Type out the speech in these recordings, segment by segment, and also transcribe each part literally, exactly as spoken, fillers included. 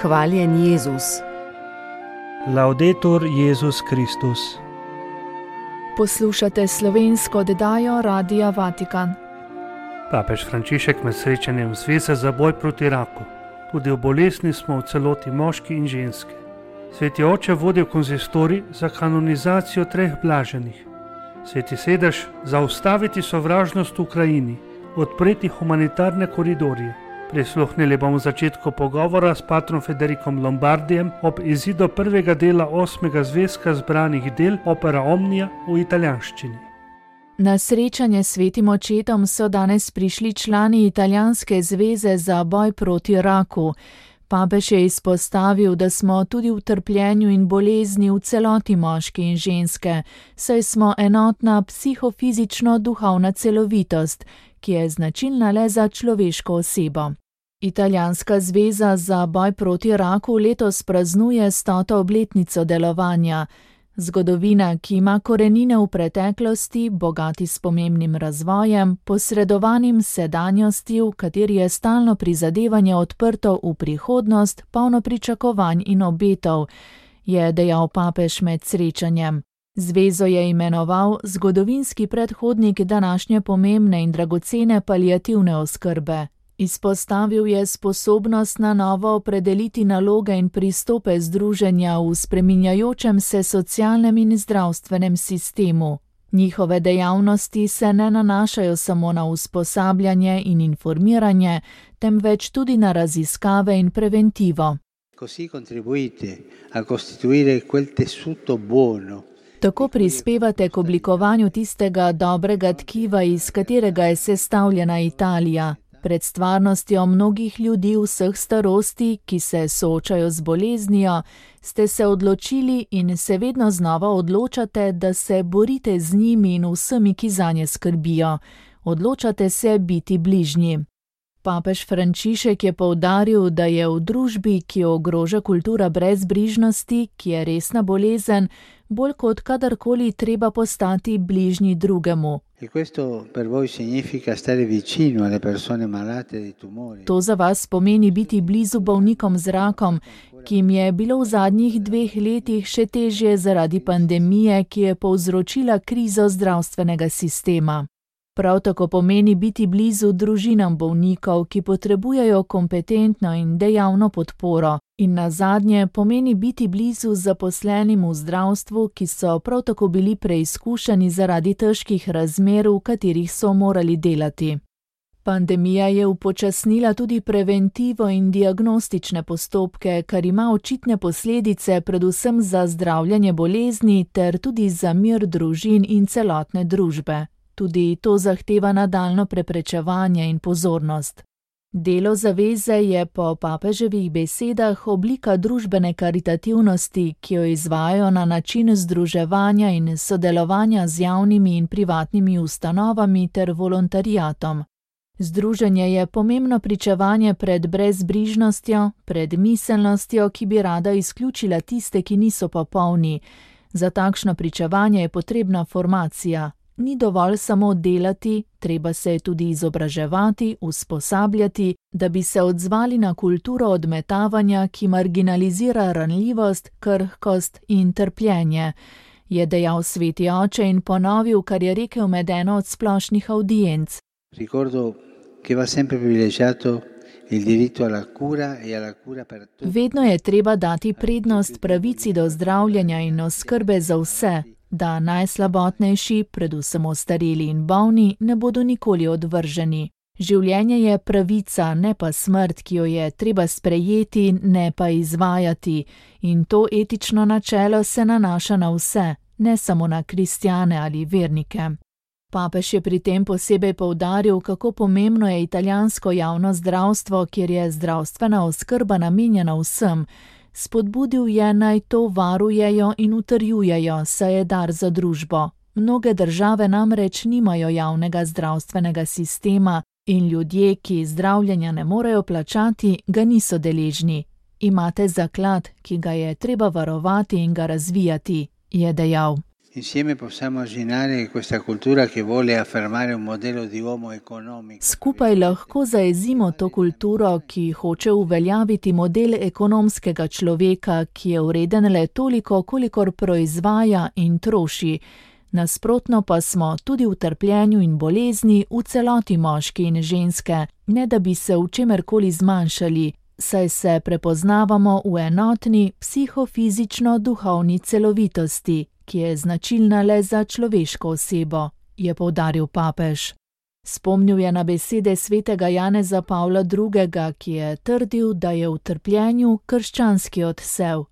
Hvaljen Jezus. Laudetur Jezus Kristus. Poslušate slovensko oddajo Radia Vatikan. Papež Frančišek med srečanjem Zveze za boj proti raku. Tudi v bolezni smo v celoti moški in ženske. Sveti oče vodi konzistorij za kanonizacijo treh blaženih. Sveti sedež zaustaviti sovražnost v Ukrajini, odpreti humanitarne koridorje. Prisluhnili bomo začetku pogovora s patrom Federikom Lombardijem ob izidu prvega dela osmega zvezka zbranih del Opera Omnia v italijanščini. Na srečanje s svetim očetom so danes prišli člani Italijanske zveze za boj proti raku. Papež je izpostavil, da smo tudi v trpljenju in bolezni v celoti moški in ženske, saj smo enotna psihofizično-duhovna celovitost, ki je značilna le za človeško osebo. Italijanska zveza za boj proti raku letos praznuje stoto obletnico delovanja. Zgodovina, ki ima korenine v preteklosti, bogati s pomembnim razvojem, posredovanim sedanjosti, v kateri je stalno prizadevanje odprto v prihodnost, polno pričakovanj in obetov, je dejal papež med srečanjem. Zvezo je imenoval zgodovinski predhodnik današnje pomembne in dragocene paliativne oskrbe. Izpostavil je sposobnost na novo opredeliti naloge in pristope združenja v spreminjajočem se socialnem in zdravstvenem sistemu. Njihove dejavnosti se ne nanašajo samo na usposabljanje in informiranje, temveč tudi na raziskave in preventivo. Così contribuite a costituire quel tessuto buono. Tako prispevate k oblikovanju tistega dobrega tkiva, iz katerega je sestavljena Italija. Pred stvarnostjo mnogih ljudi vseh starosti, ki se soočajo z boleznijo, ste se odločili in se vedno znova odločate, da se borite z njimi in vsemi, ki zanje skrbijo. Odločate se biti bližnji. Papež Frančišek je poudaril, da je v družbi, ki jo ogroža kultura brezbrižnosti, ki je resna bolezen, bolj kot kadarkoli treba postati bližnji drugemu. To za vas pomeni biti blizu bolnikom z rakom, ki jim je bilo v zadnjih dveh letih še težje zaradi pandemije, ki je povzročila krizo zdravstvenega sistema. Prav tako pomeni biti blizu družinam bolnikov, ki potrebujejo kompetentno in dejavno podporo. In nazadnje pomeni biti blizu zaposlenim v zdravstvu, ki so prav tako bili preizkušeni zaradi težkih razmer, v katerih so morali delati. Pandemija je upočasnila tudi preventivo in diagnostične postopke, kar ima očitne posledice predvsem za zdravljenje bolezni ter tudi za mir družin in celotne družbe. Tudi to zahteva nadaljnjo preprečevanje in pozornost. Delo zaveze je po papeževih besedah oblika družbene karitativnosti, ki jo izvajajo na način združevanja in sodelovanja z javnimi in privatnimi ustanovami ter volontariatom. Združenje je pomembno pričevanje pred brezbrižnostjo, pred miselnostjo, ki bi rada izključila tiste, ki niso popolni. Za takšno pričevanje je potrebna formacija. Ni dovolj samo delati, treba se tudi izobraževati, usposabljati, da bi se odzvali na kulturo odmetavanja, ki marginalizira ranljivost, krhkost in trpljenje, je dejal sveti oče in ponovil, kar je rekel med eno od splošnih avdienc. Vedno je treba dati prednost pravici do zdravljenja in oskrbe za vse, da najslabotnejši, predvsem ostareli in bolni, ne bodo nikoli odvrženi. Življenje je pravica, ne pa smrt, ki jo je treba sprejeti, ne pa izvajati. In to etično načelo se nanaša na vse, ne samo na kristjane ali vernike. Papež je pri tem posebej poudaril, kako pomembno je italijansko javno zdravstvo, kjer je zdravstvena oskrba namenjena vsem. Spodbudil je, naj to varujejo in utrjujejo, saj je dar za družbo. Mnoge države namreč nimajo javnega zdravstvenega sistema in ljudje, ki zdravljenja ne morejo plačati, ga niso deležni. Imate zaklad, ki ga je treba varovati in ga razvijati, je dejal. Skupaj lahko zaezimo to kulturo, ki hoče uveljaviti model ekonomskega človeka, ki je vreden le toliko, kolikor proizvaja in troši. Nasprotno pa smo tudi v trpljenju in bolezni v celoti moški in ženske, ne da bi se v čemerkoli zmanjšali, saj se prepoznavamo v enotni psihofizično-duhovni celovitosti, ki je značilna le za človeško osebo, je poudaril papež. Spomnil je na besede svetega Janeza Pavla drugega., ki je trdil, da je v trpljenju krščanski odsev.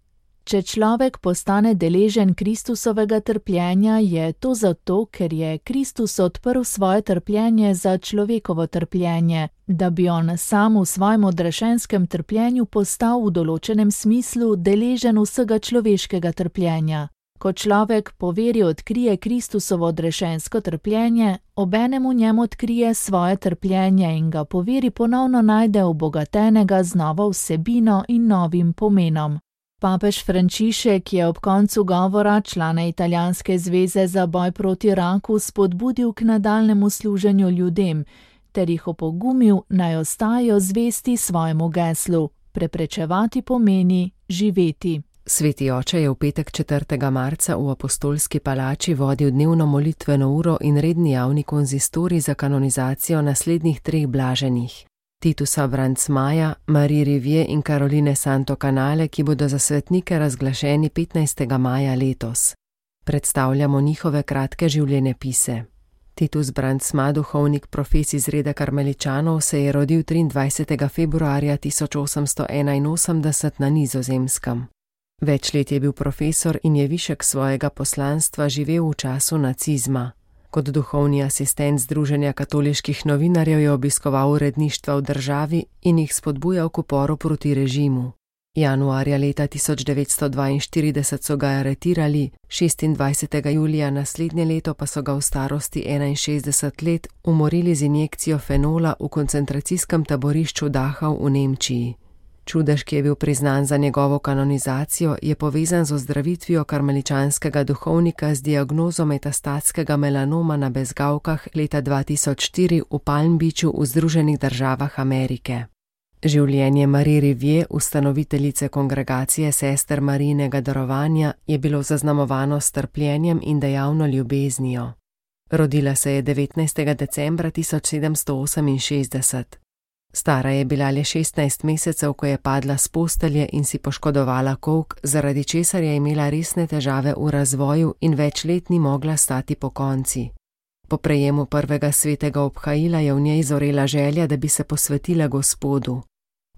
Če človek postane deležen Kristusovega trpljenja, je to zato, ker je Kristus odprl svoje trpljenje za človekovo trpljenje, da bi on sam v svojem odrešenskem trpljenju postal v določenem smislu deležen vsega človeškega trpljenja. Ko človek po veri odkrije Kristusovo odrešensko trpljenje, obenem v njem odkrije svoje trpljenje in ga po veri ponovno najde obogatenega z novo vsebino in novim pomenom. Papež Frančišek je ob koncu govora člane Italijanske zveze za boj proti raku spodbudil k nadaljnjemu služenju ljudem ter jih opogumil, naj ostajajo zvesti svojemu geslu: preprečevati pomeni živeti. Sveti oče je v petek četrtega marca v Apostolski palači vodil dnevno molitveno uro in redni javni konzistorij za kanonizacijo naslednjih treh blaženih: Titusa Brandsmaja, Marie Rivière in Caroline Santo Canale, ki bodo za svetnike razglašeni petnajstega maja letos. Predstavljamo njihove kratke življenjepise. Titus Brandsma, duhovnik profes iz reda karmeličanov, se je rodil triindvajsetega februarja tisoč osemsto enainosemdeset na Nizozemskem. Več let je bil profesor in je višek svojega poslanstva živel v času nacizma. Kot duhovni asistent Združenja katoliških novinarjev je obiskoval uredništva v državi in jih spodbujal k uporu proti režimu. Januarja leta tisoč devetsto dvainštirideset so ga aretirali, šestindvajsetega julija naslednje leto pa so ga v starosti enainšestdeset let umorili z injekcijo fenola v koncentracijskem taborišču Dachau v Nemčiji. Čudež, ki je bil priznan za njegovo kanonizacijo, je povezan z ozdravitvijo karmeličanskega duhovnika z diagnozo metastatskega melanoma na bezgavkah leta dva tisoč štiri v Palm Beachu v Združenih državah Amerike. Življenje Marie Rivière, ustanoviteljice kongregacije sester Marijinega darovanja, je bilo zaznamovano s trpljenjem in dejavno ljubeznijo. Rodila se je devetnajstega decembra tisoč sedemsto oseminšestdeset. Stara je bila le šestnajst mesecev, ko je padla s postelje in si poškodovala kolk, zaradi česar je imela resne težave v razvoju in več let ni mogla stati pokonci. Po prejemu prvega svetega obhajila je v njej zorela želja, da bi se posvetila Gospodu.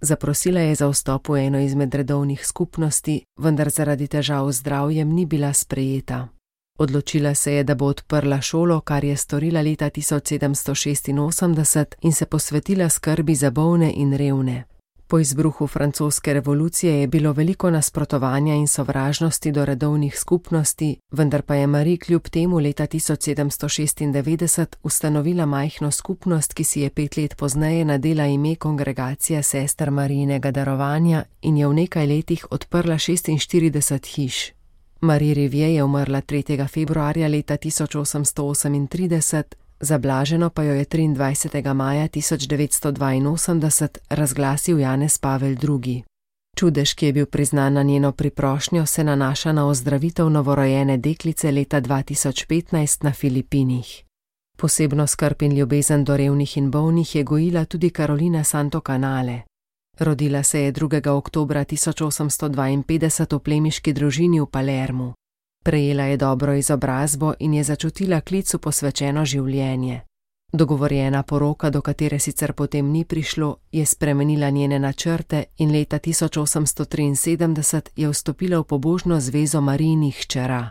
Zaprosila je za vstop v eno izmed redovnih skupnosti, vendar zaradi težav z zdravjem ni bila sprejeta. Odločila se je, da bo odprla šolo, kar je storila leta tisoč sedemsto šestinosemdeset in se posvetila skrbi za bolne in revne. Po izbruhu francoske revolucije je bilo veliko nasprotovanja in sovražnosti do redovnih skupnosti, vendar pa je Marie kljub temu leta tisoč sedemsto šestindevetdeset ustanovila majhno skupnost, ki si je pet let pozneje nadela ime Kongregacija sester Marijinega darovanja in je v nekaj letih odprla šestinštirideset hiš. Marie Rivière je umrla tretjega februarja leta tisoč osemsto osemintrideset, zablaženo pa jo je triindvajsetega maja tisoč devetsto dvainosemdeset razglasil Janez Pavel drugi. Čudež, ki je bil priznan na njeno priprošnjo, se nanaša na ozdravitev novorojene deklice leta dva tisoč petnajst na Filipinih. Posebno skrb in ljubezen do revnih in bolnih je gojila tudi Carolina Santo Canale. Rodila se je drugega oktobra tisoč osemsto dvainpetdeset v plemiški družini v Palermu. Prejela je dobro izobrazbo in je začutila klic v posvečeno življenje. Dogovorjena poroka, do katere sicer potem ni prišlo, je spremenila njene načrte in leta tisoč osemsto triinsedemdeset je vstopila v pobožno zvezo Marijinih hčera.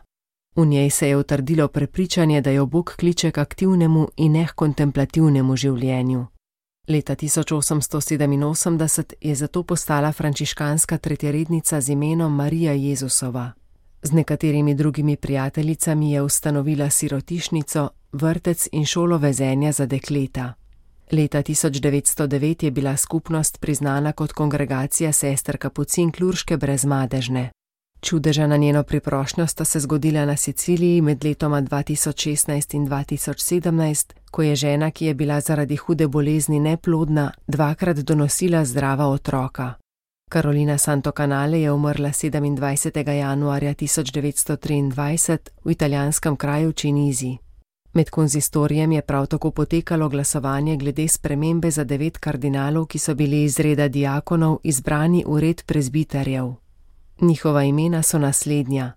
V njej se je utrdilo prepričanje, da jo Bog kliče k aktivnemu in ne k kontemplativnemu življenju. Leta tisoč osemsto sedeminosemdeset je zato postala frančiškanska tretjerednica z imenom Marija Jezusova. Z nekaterimi drugimi prijateljicami je ustanovila sirotišnico, vrtec in šolo vezenja za dekleta. Leta tisoč devetsto devet je bila skupnost priznana kot kongregacija sester Kapucink Lurške brezmadežne. Čudeža na njeno priprošnjo sta se zgodila na Siciliji med letoma dva tisoč šestnajst in dva tisoč sedemnajst, ko je žena, ki je bila zaradi hude bolezni neplodna, dvakrat donosila zdrava otroka. Carolina Santocanale je umrla sedemindvajsetega januarja tisoč devetsto triindvajset v italijanskem kraju Činizi. Med konzistorijem je prav tako potekalo glasovanje glede spremembe za devet kardinalov, ki so bili iz reda diakonov izbrani v red prezbiterjev. Njihova imena so naslednja: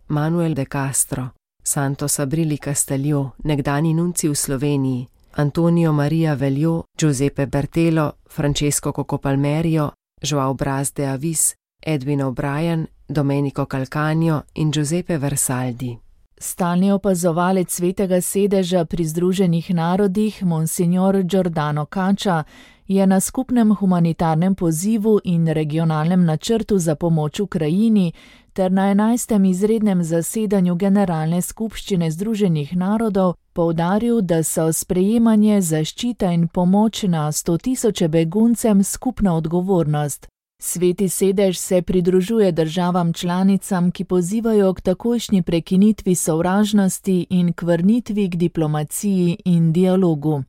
Manuel de Castro, Santos Abrili Castelio, nekdani nunci v Sloveniji, Antonio Maria Veljo, Giuseppe Bertelo, Francesco Coco Palmerio, João Braz de Avis, Edwin O'Brien, Domenico Calcagno in Giuseppe Versaldi. Stalni opazovalec Svetega sedeža pri Združenih narodih, monsignor Giordano Caccia, je na skupnem humanitarnem pozivu in regionalnem načrtu za pomoč Ukrajini ter na enajstem izrednem zasedanju Generalne skupščine Združenih narodov poudaril, da so sprejemanje, zaščita in pomoč na sto tisoče beguncem skupna odgovornost. Sveti sedež se pridružuje državam članicam, ki pozivajo k takojšnji prekinitvi sovražnosti in k vrnitvi k diplomaciji in dialogu.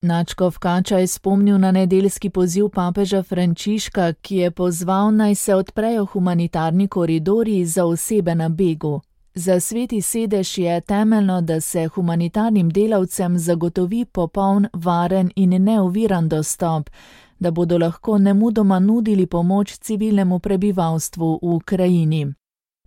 Nadškof Caccia je spomnil na nedeljski poziv papeža Frančiška, ki je pozval, naj se odprejo humanitarni koridorji za osebe na begu. Za Sveti sedež je temeljno, da se humanitarnim delavcem zagotovi popoln, varen in neoviran dostop, da bodo lahko nemudoma nudili pomoč civilnemu prebivalstvu v Ukrajini.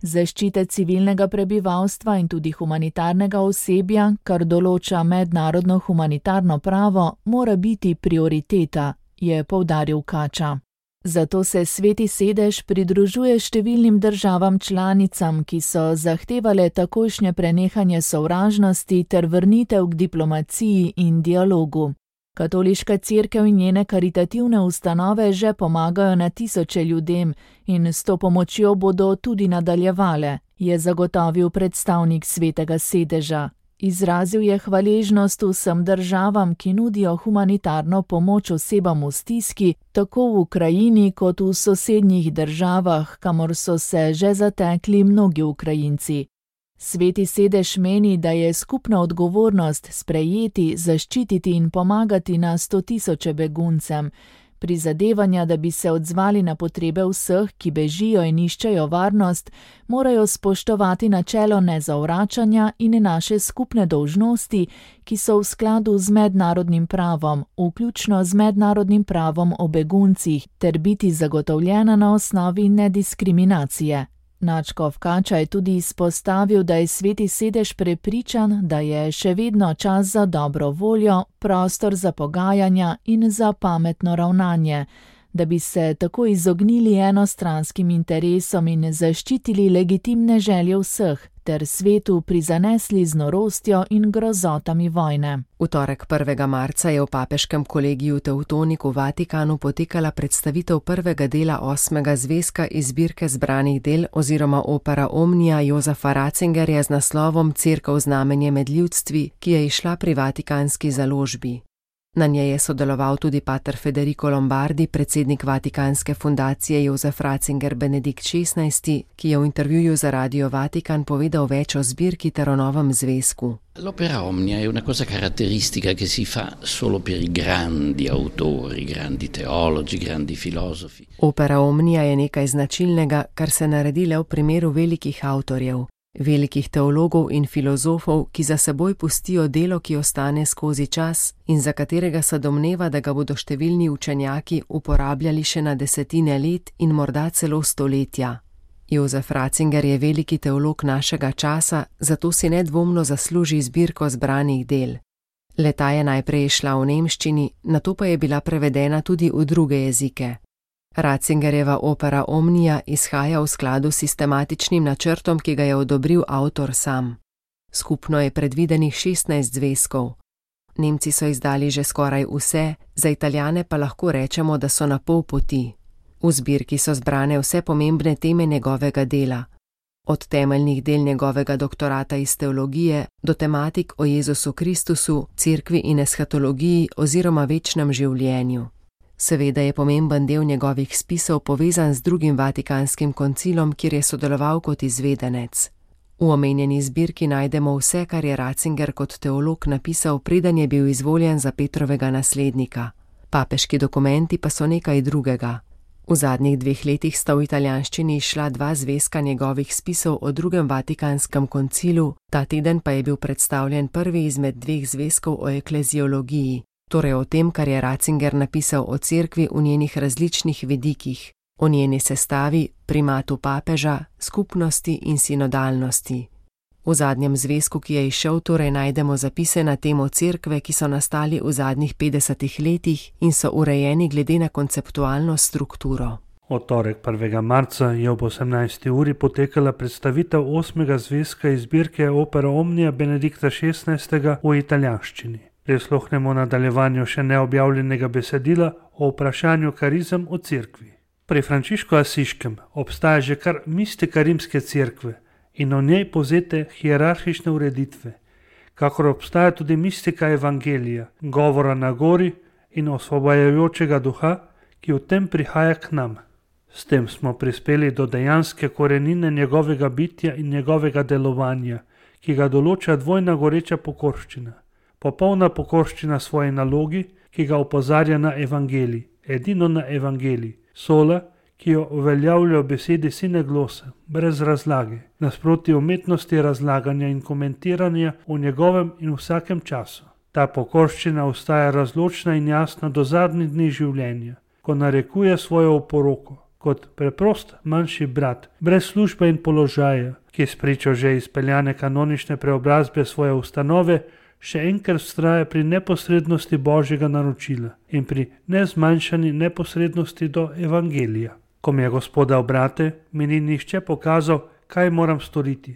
Zaščite civilnega prebivalstva in tudi humanitarnega osebja, kar določa mednarodno humanitarno pravo, mora biti prioriteta, je poudaril Caccia. Zato se Sveti sedež pridružuje številnim državam članicam, ki so zahtevale takojšnje prenehanje sovražnosti ter vrnitev k diplomaciji in dialogu. Katoliška cerkev in njene karitativne ustanove že pomagajo na tisoče ljudem in s to pomočjo bodo tudi nadaljevale, je zagotovil predstavnik Svetega sedeža. Izrazil je hvaležnost vsem državam, ki nudijo humanitarno pomoč osebam v stiski, tako v Ukrajini kot v sosednjih državah, kamor so se že zatekli mnogi Ukrajinci. Sveti sedež meni, da je skupna odgovornost sprejeti, zaščititi in pomagati na sto tisoče beguncem. Prizadevanja, da bi se odzvali na potrebe vseh, ki bežijo in iščejo varnost, morajo spoštovati načelo nezavračanja in naše skupne dolžnosti, ki so v skladu z mednarodnim pravom, vključno z mednarodnim pravom o beguncih, ter biti zagotovljena na osnovi nediskriminacije. Nadškof Caccia je tudi izpostavil, da je Sveti sedež prepričan, da je še vedno čas za dobro voljo, prostor za pogajanja in za pametno ravnanje, da bi se tako izognili enostranskim interesom in zaščitili legitimne želje vseh, ter svetu prizanesli z norostjo in grozotami vojne. V torek prvega marca je v papeškem kolegiju Teutonik v Vatikanu potekala predstavitev prvega dela osmega zvezka iz zbirke zbranih del oziroma opera Omnia Josefa Ratzingerja z naslovom Cerkev znamenje med ljudstvi, ki je izšla pri vatikanski založbi. Na njej je sodeloval tudi pater Federico Lombardi, predsednik Vatikanske fundacije Josef Ratzinger Benedikt šestnajsti, ki je v intervjuju za Radio Vatikan povedal več o zbirki ter o novem zvezku. L'opera Omnia è una cosa caratteristica che si fa solo per i grandi autori, grandi teologi, grandi filosofi. Opera Omnia je nekaj značilnega, kar se naredi le v primeru velikih avtorjev. Velikih teologov in filozofov, ki za seboj pustijo delo, ki ostane skozi čas in za katerega se domneva, da ga bodo številni učenjaki uporabljali še na desetine let in morda celo stoletja. Josef Ratzinger je veliki teolog našega časa, zato si nedvomno zasluži zbirko zbranih del. Le-ta je najprej išla v nemščini, nato pa je bila prevedena tudi v druge jezike. Ratzingerjeva opera Omnia izhaja v skladu s sistematičnim načrtom, ki ga je odobril avtor sam. Skupno je predvidenih šestnajst zvezkov. Nemci so izdali že skoraj vse, za Italijane pa lahko rečemo, da so na pol poti. V zbirki so zbrane vse pomembne teme njegovega dela. Od temeljnih del njegovega doktorata iz teologije do tematik o Jezusu Kristusu, cerkvi in eshatologiji oziroma večnem življenju. Seveda je pomemben del njegovih spisov povezan z drugim Vatikanskim koncilom, kjer je sodeloval kot izvedenec. V omenjeni zbirki najdemo vse, kar je Ratzinger kot teolog napisal, preden je bil izvoljen za Petrovega naslednika. Papeški dokumenti pa so nekaj drugega. V zadnjih dveh letih sta v italijanščini izšla dva zvezka njegovih spisov o drugem Vatikanskem koncilu, ta teden pa je bil predstavljen prvi izmed dveh zvezkov o ekleziologiji, torej o tem, kar je Ratzinger napisal o cerkvi v njenih različnih vidikih, o njeni sestavi, primatu papeža, skupnosti in sinodalnosti. V zadnjem zvezku, ki je izšel, torej najdemo zapise na temo cerkve, ki so nastali v zadnjih petdesetih letih in so urejeni glede na konceptualno strukturo. V torek prvega marca je ob osemnajsti uri potekala predstavitev osmega zvezka iz zbirke Opera Omnia Benedikta šestnajstega v italijanščini. Prisluhnemo nadaljevanju še neobjavljenega besedila o vprašanju karizem o cerkvi. Pri Frančišku Asiškem obstaja že kar mistika rimske cerkve in v njej povzete hierarhične ureditve, kakor obstaja tudi mistika evangelija, govora na gori in osvobajajočega duha, ki v tem prihaja k nam. S tem smo prispeli do dejanske korenine njegovega bitja in njegovega delovanja, ki ga določa dvojna goreča pokorščina. Popolna pokorščina svoji nalogi, ki ga opozarja na evangelij, edino na evangelij, sola, ki jo uveljavlja v besedi sine glosa, brez razlage, nasproti umetnosti razlaganja in komentiranja v njegovem in vsakem času. Ta pokorščina ostaja razločna in jasna do zadnjih dni življenja, ko narekuje svojo oporoko, kot preprost manjši brat, brez službe in položaja, ki spričo že izpeljane kanonične preobrazbe svoje ustanove, še enkrat vztraja pri neposrednosti Božjega naročila in pri nezmanjšani neposrednosti do evangelija. Ko mi je Gospoda obrate, mi ni nihče pokazal, kaj moram storiti.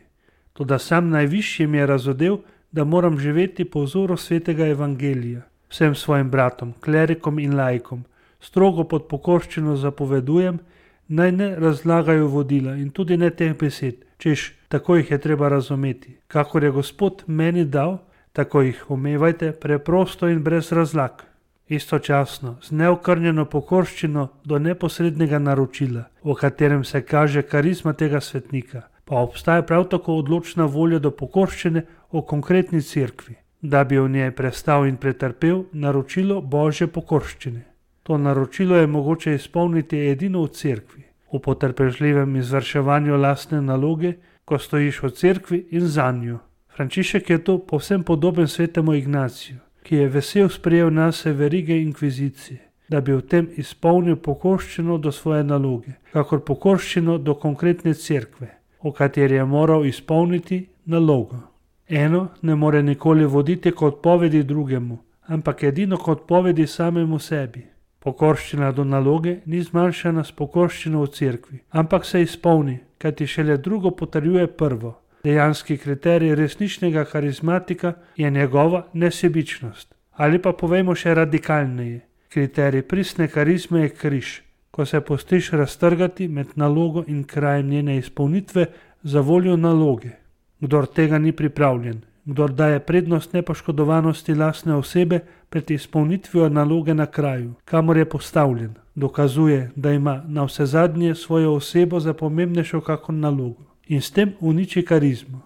Toda sam najvišji mi je razodel, da moram živeti po vzoru svetega evangelija. Vsem svojim bratom, klerikom in laikom, strogo pod pokorščino zapovedujem, naj ne razlagajo vodila in tudi ne teh besed, češ tako jih je treba razumeti. Kakor je Gospod meni dal, tako jih umevajte preprosto in brez razlag. Istočasno, z neokrnjeno pokorščino do neposrednega naročila, v katerem se kaže karizma tega svetnika, pa obstaja prav tako odločna volja do pokorščine v konkretni cerkvi, da bi v njej prestal in pretrpel naročilo Božje pokorščine. To naročilo je mogoče izpolniti edino v cerkvi, v potrpežljivem izvrševanju lastne naloge, ko stojiš v cerkvi in zanjo. Frančišek je to povsem podoben svetemu Ignaciju, ki je vesel sprejel nase verige inkvizicije, da bi v tem izpolnil pokorščino do svoje naloge, kakor pokorščino do konkretne cerkve, v kateri je moral izpolniti nalogo. Eno ne more nikoli voditi kot povedi drugemu, ampak edino kot povedi samemu sebi. Pokorščina do naloge ni zmanjšana s pokorščino v cerkvi, ampak se izpolni, kajti šele drugo potrjuje prvo. Dejanski kriterij resničnega karizmatika je njegova nesebičnost. Ali pa povejmo še radikalneje, kriterij pristne karizme je križ, ko se pustiš raztrgati med nalogo in krajem njene izpolnitve za voljo naloge. Kdor tega ni pripravljen, kdor daje prednost nepoškodovanosti lastne osebe pred izpolnitvijo naloge na kraju, kamor je postavljen, dokazuje, da ima na vsezadnje svojo osebo za pomembnejšo kakor nalogo. In s tem uniči karizmo.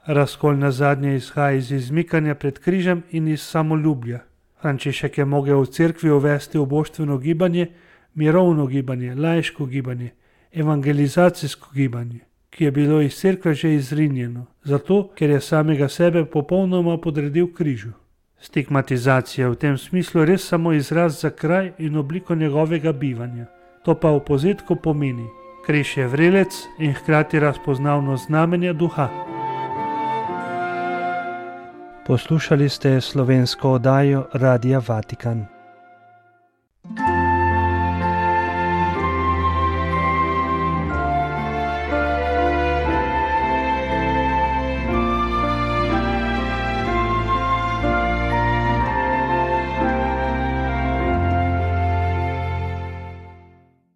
Razkol na zadnje izhaja iz izmikanja pred križem in iz samoljubja. Frančišek je mogel v cerkvi uvesti oboštveno gibanje, mirovno gibanje, laiško gibanje, evangelizacijsko gibanje, ki je bilo iz cerkve že izrinjeno, zato ker je samega sebe popolnoma podredil križu. Stigmatizacija v tem smislu res samo izraz za kraj in obliko njegovega bivanja. To pa v povzetku pomeni: križ je vrelec in hkrati razpoznavno znamenje duha. Poslušali ste slovensko oddajo Radia Vatikan.